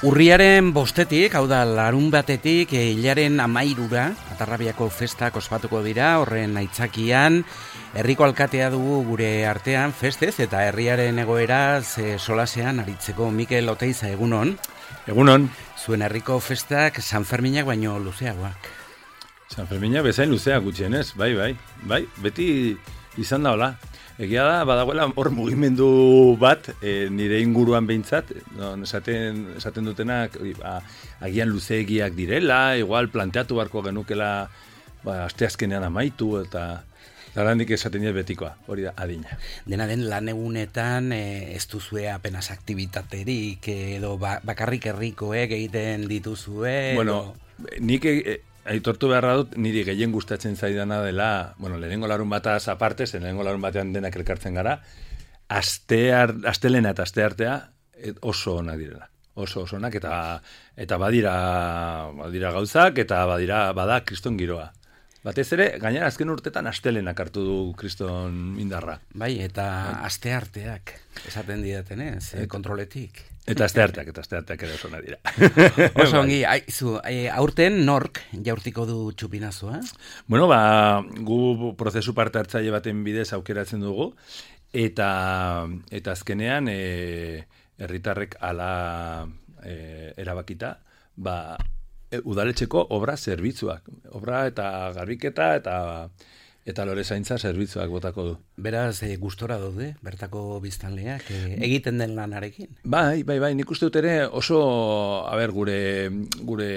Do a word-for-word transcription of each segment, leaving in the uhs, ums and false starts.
Urriaren bostetik, hau da larun batetik, hilaren amairura, Atarrabiako festak ospatuko dira, horren aitzakian, herriko alkatea dugu gure artean festez, eta herriaren egoeraz e, solasean aritzeko. Mikel Oteiza, egunon. Egunon. Zuen herriko festak San Ferminak baino luzeagoak. San Ferminak bezain luzeak gutxienez, bai, bai, bai, beti izan da hola. Egia da, badagoela hor mugimendu bat, e, nire inguruan behintzat, no, esaten, esaten dutenak, ba, agian luzeegiak direla, igual planteatu barko genukela ba, asteazkenean amaitu, eta zarandik esaten dira betikoa, hori da, adina. Dena den lan egunetan e, ez duzue apenas aktibitaterik, edo ba, bakarrik herrikoek egiten dituzue. Bueno, nik... E, Aitortu beharra dut, niri gehien gustatzen zaidana dela, bueno, lehenengo larun bataz aparte, zen lehenengo larun batean denak elkartzen gara, astear, astelena eta asteartea oso onak direla. Oso oso onak, eta, eta badira, badira gauzak, eta badira, bada kriston giroa. Batez ere, gainera azken urtetan astelenak hartu du kriston indarra. Bai, eta astearteak, esaten didatenez, e, kontroletik. Eta astearteak, eta astearteak ere oso onak dira. Oso ongi, aizu, aurten nork jaurtiko du txupinazua? Bueno, ba, gu prozesu parte hartzaile baten bidez aukeratzen dugu, eta, eta azkenean, e, herritarrek ala e, erabakita, ba, udaletxeko obra zerbitzuak. Obra eta garbiketa eta eta lore zaintza zerbitzuak botako du. Beraz, e, gustora daude, bertako biztanleak, e, egiten den lanarekin? Bai, bai, bai, nik uste dut ere oso, a ber, gure, gure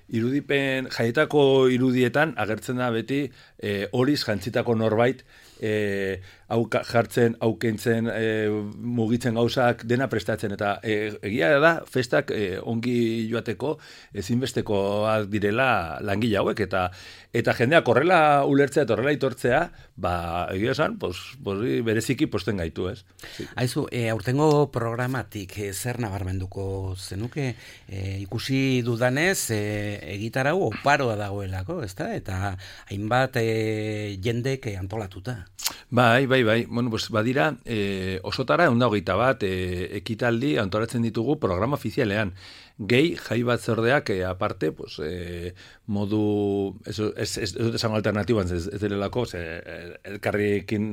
irudipen, jaietako irudietan agertzen da beti e, horiz jantzitako norbait, e, hau jartzen, hau kentzen, e, mugitzen gauzak, dena prestatzen, eta e, egia da, festak e, ongi joateko ezinbestekoak direla langile hauek, eta eta jendeak horrela ulertzea eta horrela itortzea, ba, egia esan, pues, pues, bereziki posten gaitu, ez? Sí. Aizu, e, aurtengo programatik e, zer nabarmenduko zenuke, e, ikusi dudanez, e, egitarau oparoa dagoelako, ezta? Eta hainbat e, jendek e, antolatuta. Bai, bai, bai. Bueno, pues badira, e, osotara ehun eta hogeita bat e, ekitaldi antolatzen ditugu programa ofizialean. Gehi jai batzordeak e, aparte, pues, e, modu, ez ez dut esango alternatiboan, ez, ez delelako, elkarrekin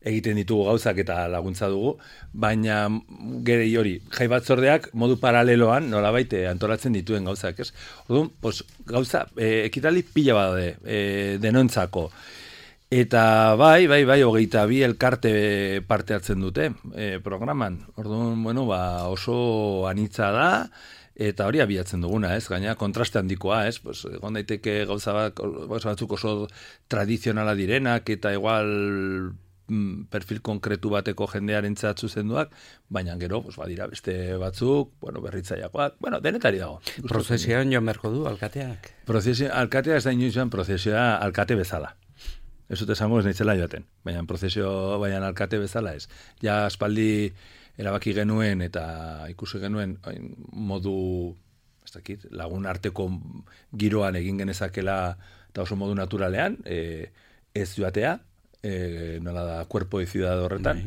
egiten ditugu gauzak eta laguntza dugu, baina gero hori, jai batzordeak modu paraleloan nolabait e, antolatzen dituen gauzak, ez? Orduan, pues, gauza, e, ekitaldi pila badaude, e, denontzako. Eta bai, bai, bai, hogeita bi elkarte parte hartzen dute e, programan. Orduan, bueno, ba, oso anitza da, eta hori abiatzen duguna, ez? Gaina kontraste handikoa, ez? Pues, egon daiteke gauza bat, gauza batzuk oso tradizionala direnak, eta igual mm, perfil konkretu bateko jendearentzat zuzenduak, baina gero, pues, badira beste batzuk, bueno, berritzaileakoak, bueno, denetari dago. Prozesioan joan beharko du alkateak? Prozesio, alkatea ez da inoizan prozesioa alkate bezala. Ez dut esango ez nahitzela joaten, baina prozesio, baina alkate bezala ez. Ja aspaldi erabaki genuen eta ikusi genuen modu, ez dakit, lagun arteko giroan egin genezakela eta oso modu naturalean, e, ez joatea, e, nola da, kuerpo de ciudad horretan,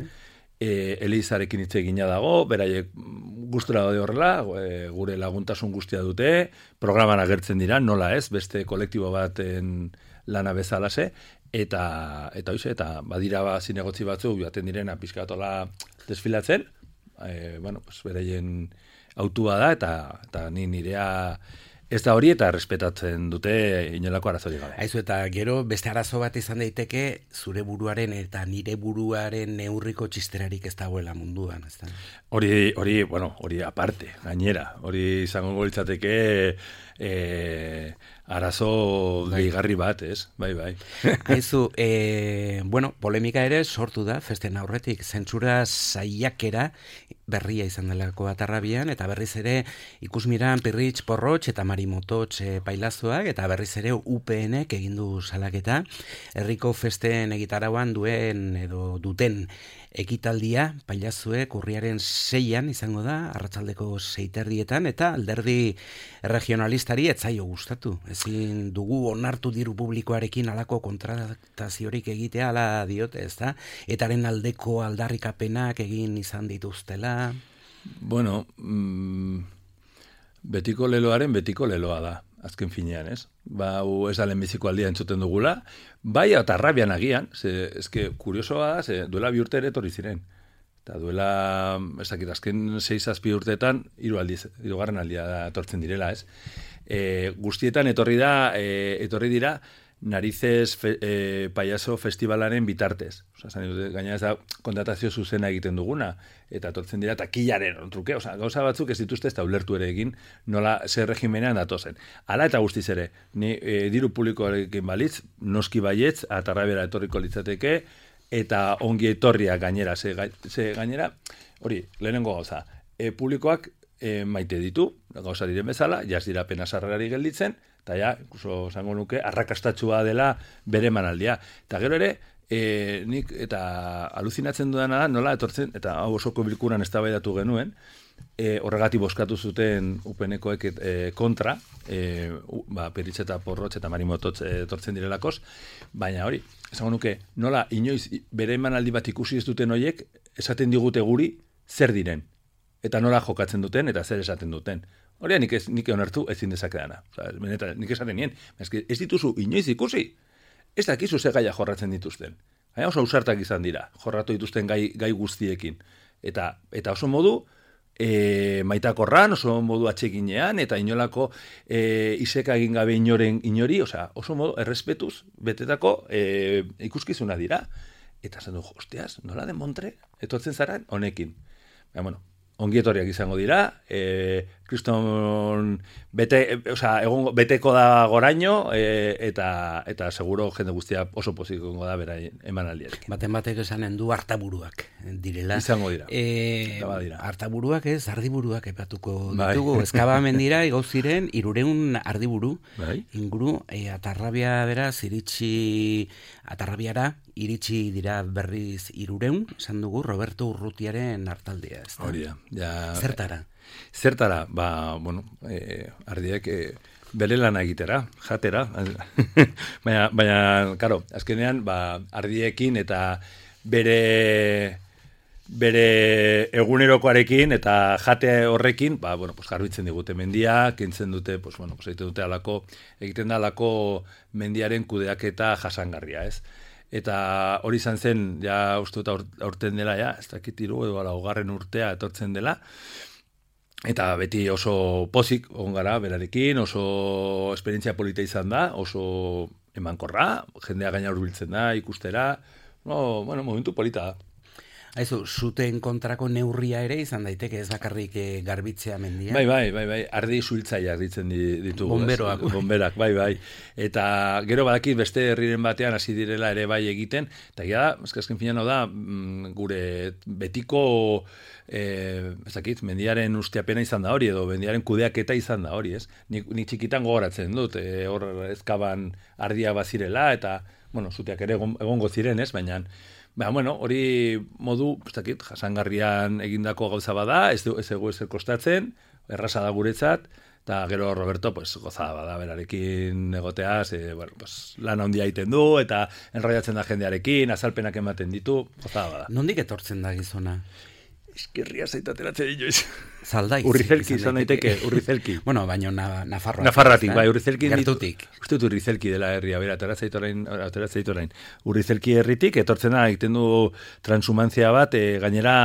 e, Elizarekin hitz egina dago, beraiek gustura daude horrela, e, gure laguntasun guztia dute, programan agertzen dira, nola ez, beste kolektibo baten lana bezalase, eta eta hoize eta badira ba zinegotzi batzuk joaten direna pizkatola desfilatzen, eh bueno, pues beraien autua da eta eta ni nirea ez da hori eta respetatzen dute inolako arazorik gabe. Aizu, eta gero beste arazo bat izan daiteke zure buruaren eta nire buruaren neurriko txisterarik ez dagoela munduan, ezta? Hori, hori, bueno, hori aparte, gainera, hori izango litzateke eh arazo gehigarri bat, ez? Bai, bai. Aizu, e, bueno, polemika ere sortu da, festen aurretik, zentsura saiakera berria izan delako Atarrabian, eta berriz ere ikusmiran Pirritx Porrotx eta Marimototx e, pailazoak, eta berriz ere U P N-ek egin du salaketa, herriko festen egitarauan duen edo duten ekitaldia, pailazuek urriaren seian izango da, arratsaldeko seiterrietan, eta alderdi regionalistari etzaio gustatu. Ezin dugu onartu diru publikoarekin alako kontrataziorik egitea, ala diote, ez da? Etaren aldeko aldarrikapenak egin izan dituztela. Bueno, mm, betiko leloaren betiko leloa da, azken finean, ez? Ba, hu ez da lehenbiziko aldia entzuten dugula, bai eta arrabian agian, ze, ezke, kuriosoa da, ze, duela bi urte ere etorri ziren. Eta duela, ez dakit, azken sei zazpi urteetan, hiru aldiz, hirugarren aldia da etortzen direla, ez? E, guztietan etorri da, e, etorri dira, Narices fe, e, Payaso Festivalaren bitartez. Osa, gaina ez da kontratazio zuzena egiten duguna, eta etortzen dira takillaren truke, osa, gauza batzuk ez dituzte ez da ulertu ere egin, nola zer regimenean datozen. Hala eta guztiz ere, ni e, diru publikoarekin balitz, noski baietz, atarrabera etorriko litzateke, eta ongi etorria gainera, ze, ze gainera, hori, lehenengo gauza, e, publikoak e, maite ditu, gauza diren bezala, jaz dira pena sarrerari gelditzen, eta ja, incluso zango nuke, arrakastatxua dela bere manaldia. Eta gero ere, e, nik eta aluzinatzen dudana da, nola etortzen, eta hau osoko bilkuran eztabaidatu genuen, e, horregatik bozkatu zuten upenekoek e, kontra, e, u, ba, Peritxe eta Porrotx eta Marimototz e, etortzen direlakoz, baina hori, zango nuke, nola inoiz bere manaldi bat ikusi ez duten horiek, esaten digute guri zer diren, eta nola jokatzen duten, eta zer esaten duten. Hori nik, ez, nik onartu ezin dezakedana. Osa, benetan, nik esaten nien. Ez dituzu inoiz ikusi. Ez dakizu ze gaia jorratzen dituzten. Baina oso ausartak izan dira, jorratu dituzten gai, gai guztiekin. Eta, eta oso modu e, maitakorran, oso modu atxekinean, eta inolako e, iseka egin gabe inoren inori, osa, oso modu errespetuz betetako e, ikuskizuna dira. Eta zen du, hostiaz, nola den Montre? Etortzen zaren honekin. Baina, bueno, ongietoriak izango dira, e, kriston bete, e, oza, egon, beteko da goraino, e, eta, eta seguro jende guztia oso poziko da bera emanaldiarekin. Baten batek esanen du hartaburuak direla. Izango dira. E, dira. Hartaburuak ez, ardiburuak epatuko bai. ditugu. Ezkabamen dira, igau ziren, irureun ardiburu, bai. inguru, e, atarrabia beraz, iritsi, atarrabiara, iritsi dira berriz irureun, esan dugu, Roberto Urrutiaren hartaldea. Ez da? Hori da. Ja, Zertara? Zertara, ba, bueno, e, ardiek e, bere lana egitera, jatera, baina, baina, karo, azkenean, ba, ardiekin eta bere bere egunerokoarekin eta jate horrekin, ba, bueno, pues garbitzen digute mendia, kentzen dute, pues, bueno, pues egiten dute alako, egiten da alako mendiaren kudeaketa jasangarria, ez? Eta hori izan zen, ja uste dut aurten dela, ja, ez dakit hiru edo laugarren urtea etortzen dela, eta beti oso pozik egon gara berarekin, oso esperientzia polita izan da, oso emankorra, jendea gaina hurbiltzen da, ikustera, no, bueno, momentu polita da. Aizu, zuten kontrako neurria ere izan daiteke, ez bakarrik e, garbitzea mendia. Bai, bai, bai, bai, ardi suhiltzaileak ditzen ditugu. Bomberoak. Ez? Bomberak, bai, bai. Eta gero badakit beste herriren batean hasi direla ere bai egiten, eta ja, azken finean da, gure betiko, eh, ez dakit, mendiaren usteapena izan da hori, edo mendiaren kudeaketa izan da hori, ez? Ni, ni txikitan gogoratzen dut, e, hor ezkaban ardia bazirela, eta, bueno, zuteak ere egongo ziren, ez, baina, Ba, bueno, hori modu, ez dakit, jasangarrian egindako gauza bada, ez dugu ez ezer kostatzen, erraza da guretzat, eta gero Roberto, pues, gozada bada berarekin egoteaz, e, bueno, pues, lan handia egiten du, eta enroiatzen da jendearekin, azalpenak ematen ditu, gozada bada. Nondik etortzen da gizona? Eskerria zaitateratzen inoiz. Zaldaiz. Urrizelki izan daiteke, Urrizelki. Bueno, baina na, Nafarroa. Nafarratik, bai, Urrizelki. Gertutik. Uste dut Urrizelki dela herria, bera, ateratzeit orain. Urrizelki herritik, etortzen da, egiten du transhumantzia bat, e, gainera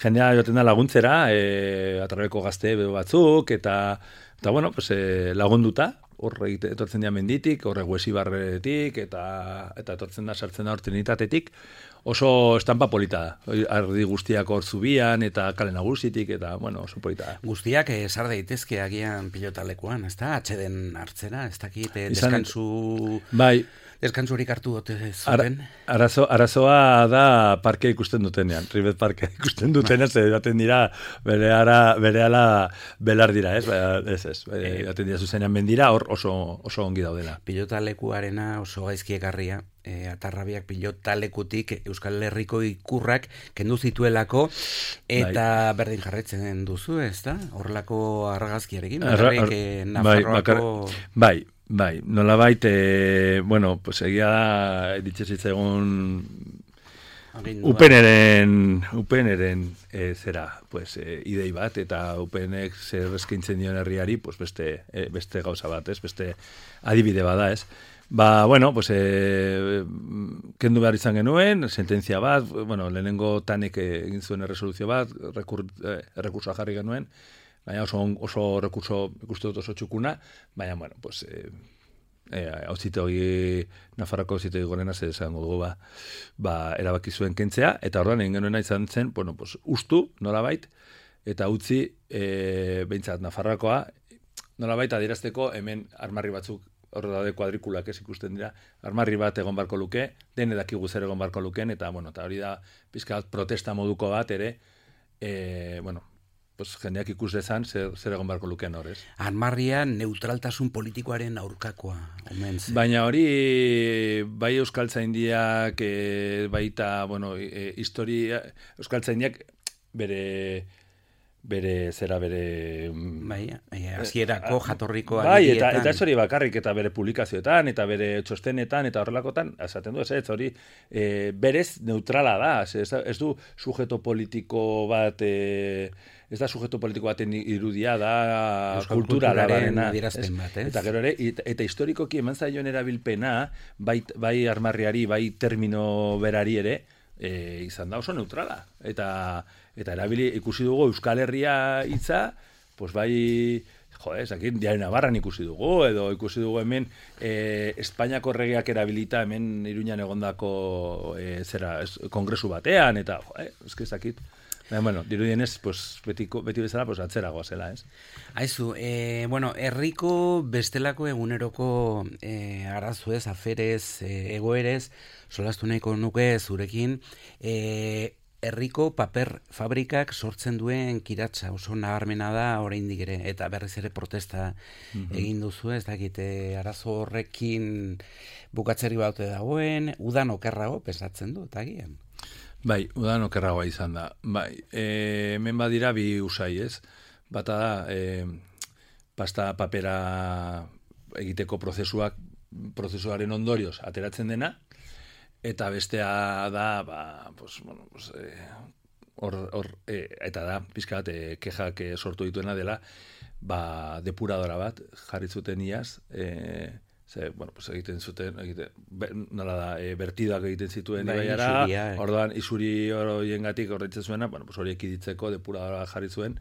jendea joten da laguntzera, e, atrabeko gazte batzuk, eta, eta bueno, pues, e, lagunduta, horre etortzen dira menditik, horre Huesibarretik, eta, eta etortzen da, sartzen da hor Trinitatetik, oso estampa polita da. Ardi guztiak hor zubian, eta kale nagusitik, eta, bueno, oso polita da. Guztiak esar daitezke agian pilotalekuan, ez da? Atxeden hartzera, ez dakit, deskansu... Bai. Deskantzurik hartu dute zuten. Ara, arazo, arazoa da parkea ikusten dutenean, Ribet parkea ikusten dutenean, ze daten dira bere ara, bere ala belar dira, ez? Ez, ez, daten dira zuzenean mendira, hor oso, oso ongi daudela. Pilotalekuarena oso gaizki ekarria. E, atarrabiak pilotalekutik Euskal Herriko ikurrak kendu zituelako eta bai. Berdin jarretzen duzu, ez da? Horrelako argazkiarekin, bakarrik eh, Nafarroako... Bai, bai, nola baita, e, bueno, pues egia da, ditxezitza egun Upeneren, Upeneren e, zera, pues, e, idei bat, eta Upenek zer eskaintzen dion herriari, pues, beste, e, beste gauza bat, ez? Beste adibide bada, ez? Ba, bueno, pues, e, kendu behar izan genuen, sententzia bat, bueno, lehenengo tanek egin zuen erresoluzio bat, rekur, eh, rekursoa jarri genuen, baina oso, oso rekurso ikuste dut oso txukuna, baina, bueno, pues, e, e, auzitegi, Nafarroko auzitegi gorena zer esango dugu, ba, ba, erabaki zuen kentzea, eta orduan egin genuena izan zen, bueno, pues, ustu, nolabait, eta utzi, e, behintzat, Nafarroakoa, nolabait, adierazteko hemen armarri batzuk, hor daude kuadrikulak ez ikusten dira, armarri bat egon barko luke, dene dakigu zer egon barko lukeen, eta, bueno, eta hori da, pizka bat protesta moduko bat ere, e, bueno, pues, jendeak ikus dezan zer, zer egon barko lukeen horrez. Armarria neutraltasun politikoaren aurkakoa, omen zen. Baina hori, bai euskaltzaindiak, e, baita, bueno, e, historia, euskaltzaindiak bere... bere zera bere bai, hasierako jatorriko bai, eta eta ez hori bakarrik eta bere publikazioetan eta bere txostenetan eta horrelakotan esaten du ez ez hori e, berez neutrala da, ez, ez du sujeto politiko bat e, ez da sujeto politiko baten irudia da Euskal kultura larena eta gero ere eta, eta historikoki eman zaion erabilpena bai, bai armarriari bai termino berari ere E, izan da oso neutrala eta eta erabili ikusi dugu Euskal Herria hitza, pues bai, jo, ez, aquí Diario Navarran ikusi dugu edo ikusi dugu hemen e, Espainiako erregeak erabilita hemen Iruñan egondako e, zera, es, kongresu batean eta jo, eh, eske zakit. Bueno, dirudienez, pues, betiko, beti bezala, pues, atzeragoa zela, ez? Aizu, eh, bueno, herriko bestelako eguneroko eh, arazuez, aferez, eh, egoerez, solastu nahiko nuke zurekin, eh, herriko paper fabrikak sortzen duen kiratsa, oso nabarmena da oraindik ere, eta berriz ere protesta mm-hmm. egin duzu, ez dakite, arazo horrekin bukatzeri baute dagoen, udan okerrago, pesatzen du, eta gian. Bai, udan okerragoa izan da. Bai, e, hemen badira bi usai, ez? Bata da, e, pasta papera egiteko prozesuak, prozesuaren ondorioz ateratzen dena, eta bestea da, ba, pues, bueno, pues, e, or, or, e, eta da, pizka bat, e, kexak sortu dituena dela, ba, depuradora bat, jarri zuten iaz, e, Ze, bueno, pues egiten zuten, egiten, nola da, e, bertidoak egiten zituen bai, ibaiara, eh. Orduan, isuri horiengatik horretzen zuena, bueno, pues hori ekiditzeko depuradora jarri zuen,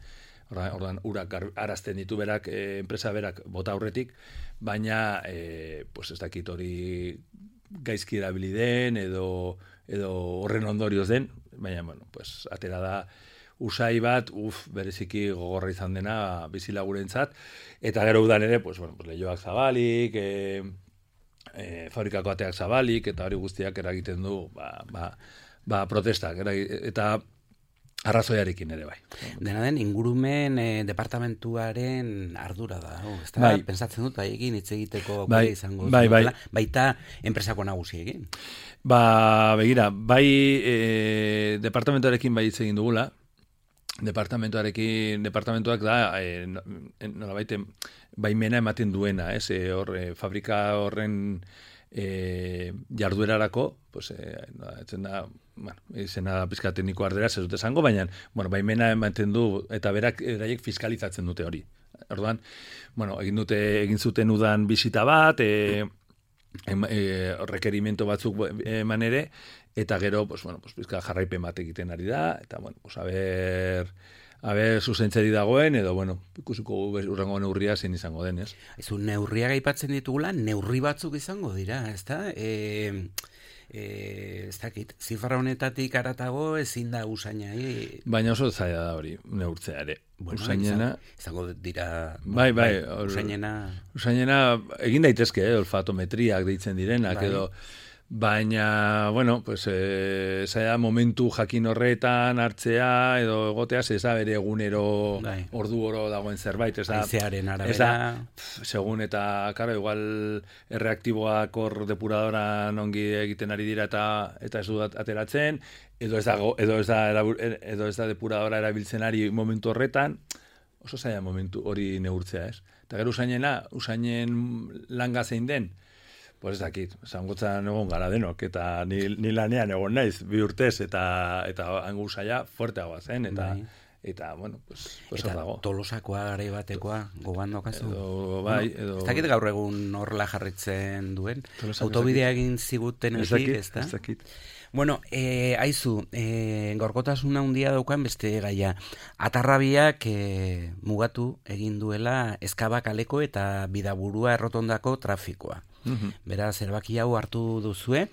orduan, orduan urak arazten ditu berak, e, enpresa berak bota aurretik, baina, e, pues ez dakit hori gaizki erabili den, edo, edo horren ondorioz den, baina, bueno, pues atera da, usai bat, uf, bereziki gogorra izan dena bizilagurentzat, eta gero udan ere, pues, bueno, pues, lehioak zabalik, e, e, fabrikako ateak zabalik, eta hori guztiak eragiten du, ba, ba, ba protestak, eta arrazoiarekin ere bai. Dena den, ingurumen e, departamentuaren ardura da, oh, ez da, bai. Pensatzen dut, haiekin hitz egiteko bai, izango bai, bai. Baita enpresako nagusiekin. Ba, begira, bai e, departamentuarekin bai hitz egin dugula, departamentuarekin, departamentuak da, e, nolabait, baimena ematen duena, ez, e, hor, e, fabrika horren e, jarduerarako, pues, e, no, etzen da, bueno, izena pizka tekniko ardera, ez dut esango, baina, bueno, baimena ematen du, eta berak eraiek fiskalizatzen dute hori. Orduan, bueno, egin dute, egin zuten udan bisita bat, e, e, rekerimento batzuk eman ere, eta gero, pues, bueno, pues, bizka jarraipen bat egiten ari da, eta, bueno, pues, a ver, a ver, zuzentzeri dagoen, edo, bueno, ikusiko urrengo neurria zein izango den, ez? Ezu, neurriak aipatzen ditugula, neurri batzuk izango dira, ez da? E, e, ez dakit, zifra honetatik aratago ezin da usainai. Baina oso zaila da hori, neurtzea ere. Bueno, usainena... Izango dira... Bai, bai, bai or, usainena... Usainena, egin daitezke, eh, olfatometriak deitzen direnak, bai. Edo... Baina, bueno, pues, e, zaila momentu jakin horretan hartzea, edo egotea, zeza bere egunero bai. Ordu oro dagoen zerbait. Ez da, aizearen arabera. Ez da, segun eta, karo, igual erreaktiboak hor depuradoran ongi egiten ari dira eta eta ez du ateratzen, edo ez da, edo ez da, edo ez da depuradora erabiltzen ari momentu horretan, oso zaila momentu hori neurtzea, ez? Eta gero usainena, usainen langa zein den, pues ez dakit, zangotzan egon gara denok, eta ni, ni lanean egon naiz, bi urtez, eta eta hango usaia fuerteagoa zen, eta, bai. Eta bueno, pues, pues eta dago. Tolosakoa, garai batekoa, gogoan dokazu? Edo, bai, bueno, edo... Ez dakit gaur egun horrela jarritzen duen, autobidea egin ziguten ezik, ez da? Ez dakit. Bueno, eh, aizu, eh, gorkotasuna handia daukan beste gaia. Atarrabiak eh, mugatu egin duela Ezkabakaleko eta Bidaburua errotondako trafikoa. Mm-hmm. Beraz, erbaki hau hartu duzue,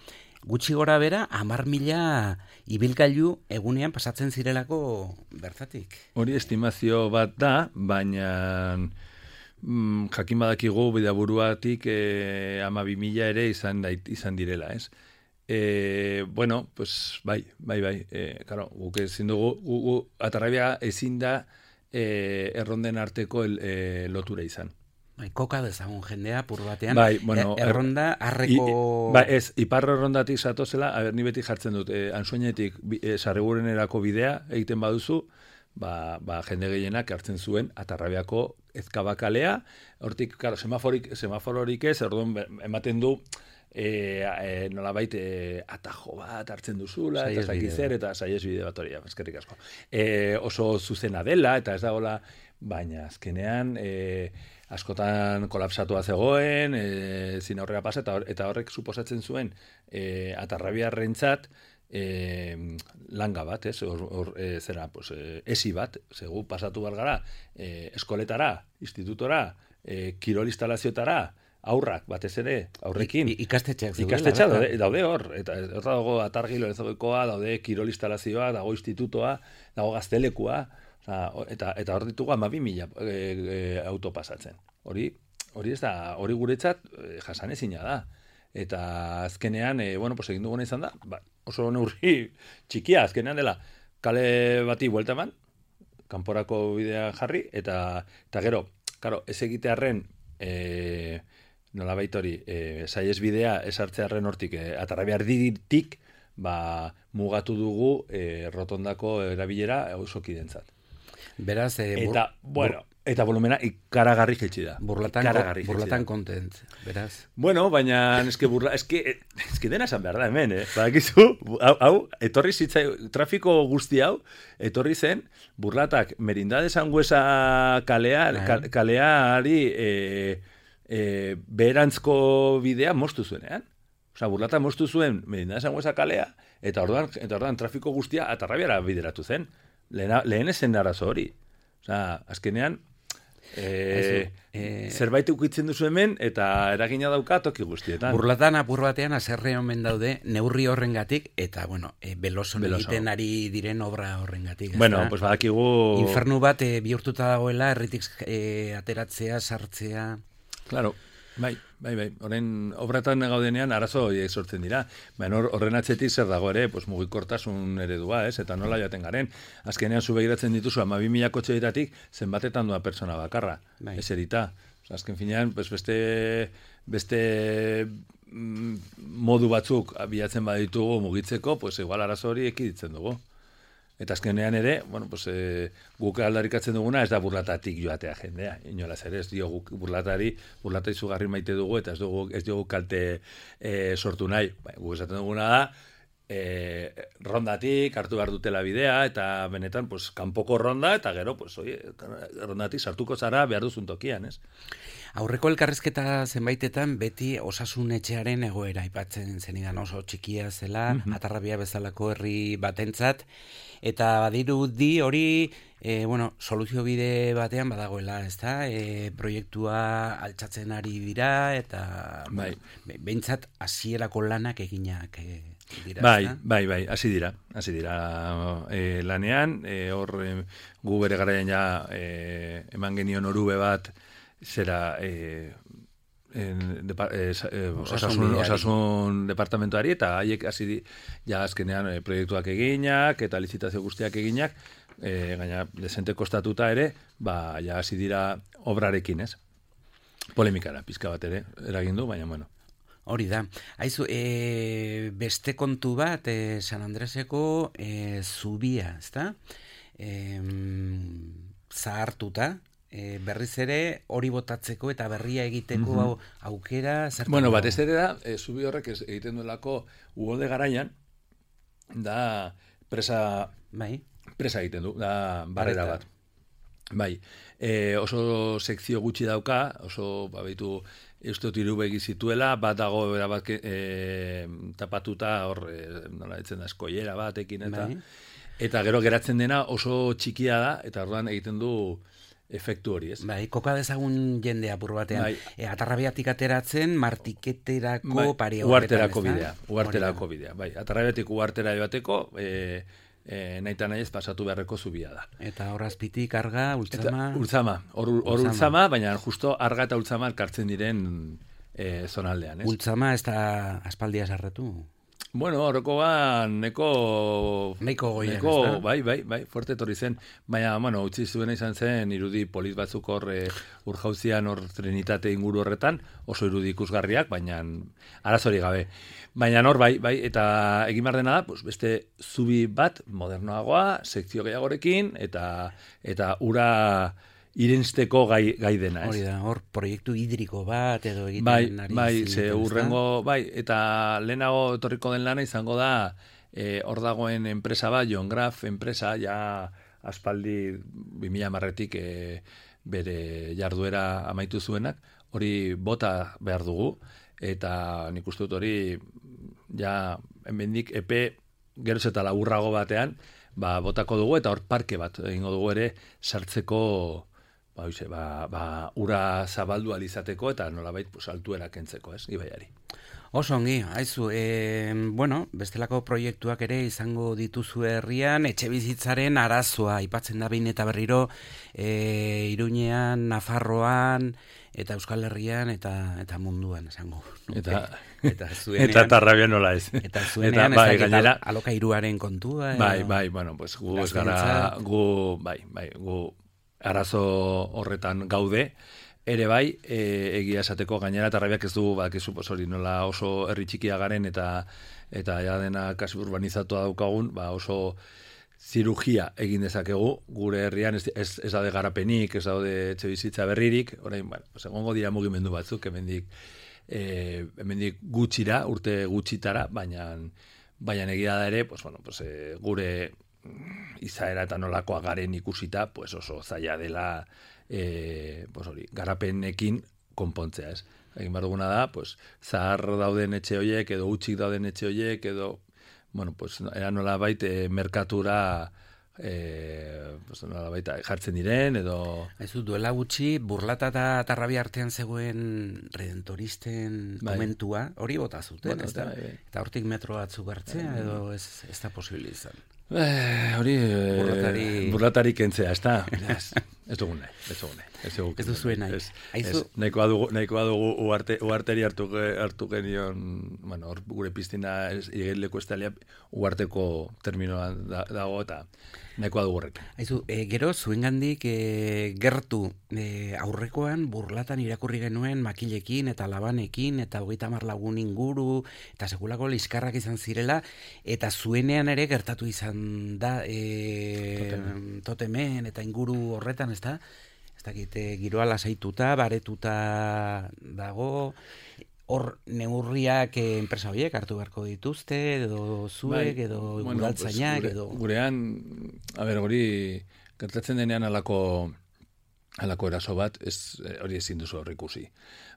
gutxi gora bera, hamar mila ibilgailu egunean pasatzen zirelako bertatik. Hori estimazio bat da, baina mm, jakin badakigu Bidaburuatik eh, hamabi mila ere izan, dait, izan direla, ez? E, bueno, pues bai, bai, bai, e, claro, guk ezin dugu, gu, gu, Atarrabia ezin da e, erronden arteko el, e, lotura izan. Bai, koka dezagun jendea, pur batean, bai, bueno, er, erronda arreko... I, bai, ez, iparro errondatik zatozela, a ber, ni beti jartzen dut, e, ansoinetik e, sarrigurenerako bidea egiten baduzu, ba, ba, jende gehienak hartzen zuen Atarrabiako Ezkabakalea, hortik, claro, semaforik, semafororik ez, orduan ematen du, E, e, nolabait e, atajo bat hartzen duzula, eta zakizer, eta saiez bide bat hori, eskerrik asko. E, oso zuzena dela, eta ez dagoela, baina azkenean e, askotan kolapsatua zegoen, e, zin aurrera pasa, eta, eta horrek suposatzen zuen e, Atarrabiarrentzat e, langa bat, ez, or, or, e, zera, pues, e, esi bat, zegu pasatu behar gara, e, eskoletara, institutora, e, kirol instalazioetara, aurrak, batez ere, aurrekin. I, ikastetxeak zegoela. Ikastetxeak daude, daude hor. Eta hor dago atargilo ezogekoa, daude kirol instalazioa, dago institutoa, dago gaztelekua, oza, eta, eta hor ditugu hamabi mila e, e, auto pasatzen. Hori, hori ez da, hori guretzat e, jasanezina da. Eta azkenean, e, bueno, pues egin duguna izan da, ba, oso neurri txikia, azkenean dela, kale bati buelta eman, kanporako bidea jarri, eta, eta gero, karo, ez egitearren, e, nolabait hori, e, saiez bidea esartzearen hortik, e, Atarrabia erditik, ba, mugatu dugu e, rotondako erabilera osokidentzat. Beraz, e, bur, eta, bueno, bur, eta volumena ikaragarri jaitsi da. Burlatan, burlatan kontent, beraz. Bueno, baina eske burla, eske, eske dena esan behar da hemen, eh? Badakizu, hau, hau, etorri zitzai, trafiko guzti hau, etorri zen, Burlatak Merindade Sangüesa kalea, kal, kaleari, eh, E, beherantzko bidea moztu zuenean. Osa, Burlata moztu zuen Merindade Sangüesa kalea, eta orduan, eta orduan trafiko guztia Atarrabiara bideratu zen. Lehena, lehen ezen arazo hori. Osa, azkenean, e, e, zerbait ukitzen duzu hemen, eta eragina dauka toki guztietan. Burlatan apur batean aserre omen daude neurri horrengatik, eta, bueno, e, beloson egiten ari diren obra horrengatik. Bueno, pues badakigu... Infernu bat e, bihurtuta dagoela, erritik e, ateratzea, sartzea... Claro, bai, bai, bai. Horren obratan gaudenean arazo horiek sortzen dira. Baina horren atzetik zer dago ere, pues, mugikortasun eredua, ez? Eta nola jaten garen. Azkenean zu begiratzen dituzu hamabi mila kotxeetatik zenbatetan doa persona bakarra. Bai. Ez erita. Azken finean, pues, beste, beste mm, modu batzuk bilatzen baditugu mugitzeko, pues, igual arazo hori ekiditzen dugu. Eta azkenean ere, bueno, pues, e, guk aldarikatzen duguna ez da Burlatatik joatea jendea. Inolaz ere, ez diogu Burlatari, Burlata izugarri maite dugu, eta ez dugu, ez dugu kalte e, sortu nahi. Ba, guk esaten duguna da, e, rondatik hartu behar dutela bidea, eta benetan, pues, kanpoko ronda, eta gero, pues, oie, rondatik sartuko zara behar duzun tokian, ez? Aurreko elkarrizketa zenbaitetan beti osasun etxearen egoera aipatzen zenidan, oso txikia zela, mm-hmm. Atarrabia bezalako herri batentzat, eta badirudi hori e, bueno, soluzio bide batean badagoela, ezta? E, proiektua altxatzen ari dira, eta bai. Behintzat hasierako lanak eginak e, dira. Bai, ezta? bai, bai, hasi dira, hasi dira e, lanean, e, hor e, gu bere garaian ja e, eman genion orube bat zera e, en, depa, e, e, osasun, Osasunbideari. osasun departamentoari eta haiek hasi di, ja azkenean e, proiektuak eginak eta lizitazio guztiak eginak, e, gaina desente kostatuta ere, ba, ja hasi dira obrarekin, ez? Polemikara, pizka bat ere, eragin du, baina bueno. Hori da. Aizu, e, beste kontu bat, e, San Andreseko e, zubia, ezta? E, zahartuta, e, berriz ere hori botatzeko eta berria egiteko Mhm. au, aukera zertan Bueno, dago? batez ere da, e, zubi horrek ez, egiten duelako uholde garaian, da presa, Bai, presa egiten du, da barrera Barreta. bat. Bai, e, oso sekzio gutxi dauka, oso, ba, baitu, uste dut hiru begi zituela, bat dago bat e, tapatuta, hor, e, nola ditzen da, eskoiera batekin, eta, bai. eta gero geratzen dena oso txikia da, eta orduan egiten du efektu hori, ez? Bai, koka dezagun jende apur batean. Bai. E, atarrabiatik ateratzen, martiketerako Bai, pare uarterako horretan, bidea, ezta? uarterako Hori bidea, bai. Atarrabetik uartera joateko, e, e, nahi eta nahi ez pasatu beharreko zubia da. da. Eta hor azpitik arga, Eta ultzama... ultzama, hor hor Ultzama. ultzama, baina justo arga eta ultzama elkartzen diren e, zonaldean, ez? Ultzama ez da aspaldia sarretu. Bueno, horrekoa neko... Nahiko goian, neko, ezta? bai, bai, bai, fuerte etorri zen. Baina, bueno, utzi zuena izan zen, irudi polit batzuk hor e, urjauzian hor trenitate inguru horretan, oso irudi ikusgarriak, baina arazori gabe. Baina hor, bai, bai, eta egin behar dena da, pues, beste zubi bat, modernoagoa, sekzio gehiagorekin, eta eta ura irensteko gai, gai dena, ez? Hori da, hor proiektu hidriko bat edo egiten Bai, ari bai, zineten, ze ezta? urrengo, bai, eta lehenago etorriko den lana izango da, e, hor dagoen enpresa bat, John Graf enpresa, ja aspaldi bi mila hamarretik e, bere jarduera amaitu zuenak, hori bota behar dugu, eta nik uste dut hori, ja, hemendik epe geroz eta laburrago batean, ba, botako dugu, eta hor parke bat egingo dugu ere sartzeko, ba, oize, ba, ba, ura zabaldu alizateko eta nolabait pues, altuera kentzeko, ez, ibaiari. Oso ongi, haizu, e, bueno, bestelako proiektuak ere izango dituzu herrian, etxe bizitzaren arazoa, aipatzen da behin eta berriro, e, Iruñean, Nafarroan, eta Euskal Herrian, eta eta munduan, esango. nuke. Eta, eta zuenean, eta tarrabia nola ez. eta zuenean, bai, ez dakit, gainera, al- alokairuaren kontua. edo- bai, bai, bueno, pues gu ez gara, Gazteentzat. gu, bai, bai, gu arazo horretan gaude, ere bai, e, egia esateko gainera tarrabiak ez du, bakizu, pues hori nola oso herri txikia garen eta eta ja dena kasi urbanizatua daukagun, ba oso zirugia egin dezakegu gure herrian, ez, ez, ez daude garapenik, ez daude etxe bizitza berririk, orain, bueno, pues egongo dira mugimendu batzuk, hemendik e, hemendik gutxira, urte gutxitara, baina baina egia da ere, pues, bueno, pues, e, gure izaera eta nolakoa garen ikusita, pues oso zaila dela e, pues hori, garapenekin konpontzea, ez? Egin behar duguna da, pues, zahar dauden etxe horiek, edo utxik dauden etxe horiek, edo, bueno, pues, era nola baita merkatura e, pues, nola baita jartzen diren, edo... Ez du, duela gutxi, burlata eta tarrabia artean zegoen redentoristen Bai. momentua, hori bota zuten, Bota ez da? zuten, bai, bai. Eta hortik metro batzuk hartzea, edo ez, ez da posible izan. Eh, hori eh, Burlatari- burlatari kentzea, ez da? Ez, ez dugun nahi, ez dugun nahi. Ez, dugu Ez duzue nahi. Ez, Aizu- ez, nahikoa dugu, nahikoa dugu uarte, uarteri hartu, ge- hartu genion, bueno, hor gure piztina igeleko estalia uarteko terminoan da, dago eta nahikoa dugu horrekin. Aizu, e, gero, zuengandik e, gertu e, aurrekoan burlatan irakurri genuen makilekin eta labanekin eta hogeita hamar lagun inguru eta sekulako liskarrak izan zirela eta zuenean ere gertatu izan da e, Totemen. totemen eta inguru horretan, ez da? Ez dakit, e, giroa lasaituta, baretuta dago, hor neurriak e, enpresa horiek hartu beharko dituzte, edo zuek, Bai, edo bueno, udaltzainak, pues, gure, edo... gurean, a ber, hori gertatzen denean alako alako eraso bat, ez, eh, hori ezin duzu hor ikusi.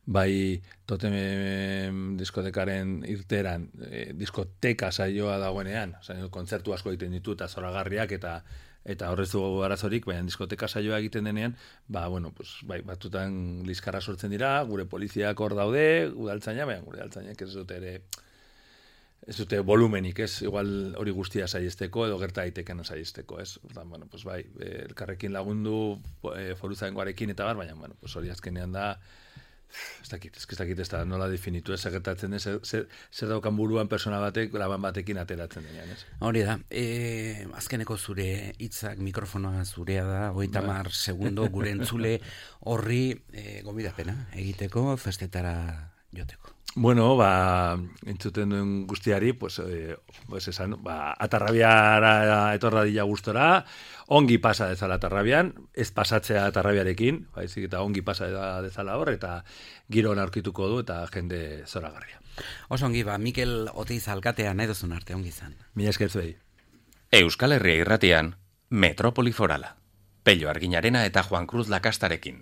Bai, totem diskotekaren irteran, eh, diskoteka saioa dagoenean, osea, kontzertu asko egiten ditu eta zoragarriak eta eta horrez dugu arazorik, baina diskoteka saioa egiten denean, ba, bueno, pues, bai, batutan liskarra sortzen dira, gure poliziak hor daude, udaltzaina, baina gure udaltzainak ez dute ere ez dute volumenik, ez, igual hori guztia saiesteko edo gerta daiteken saiesteko, ez. Ordan, bueno, pues bai, elkarrekin lagundu e, foruzaingoarekin eta bar, baina bueno, pues hori azkenean da ez dakit, ez dakit ez da nola definitu, ez gertatzen ez, zer, zer daukan buruan persona batek, laban batekin ateratzen denean, ez. Hori da, e, azkeneko zure hitzak mikrofonoa zurea da, hogeita hamar segundo gure entzule horri e, gonbidapena egiteko festetara joteko. Bueno, ba, entzuten duen guztiari, pues, eh, pues esan, ba, Atarrabiara etorra dila gustora, ongi pasa dezala Atarrabian, ez pasatzea Atarrabiarekin, baizik eta ongi pasa dezala hor, eta giro aurkituko du, eta jende zoragarria. Oso ongi, ba, Mikel Oteiz alkatea nahi duzun arte, ongi izan. Mila esker zuei. Euskal Herria irratian, Metropoli Forala. Pello Arginarena eta Juan Cruz Lakastarekin.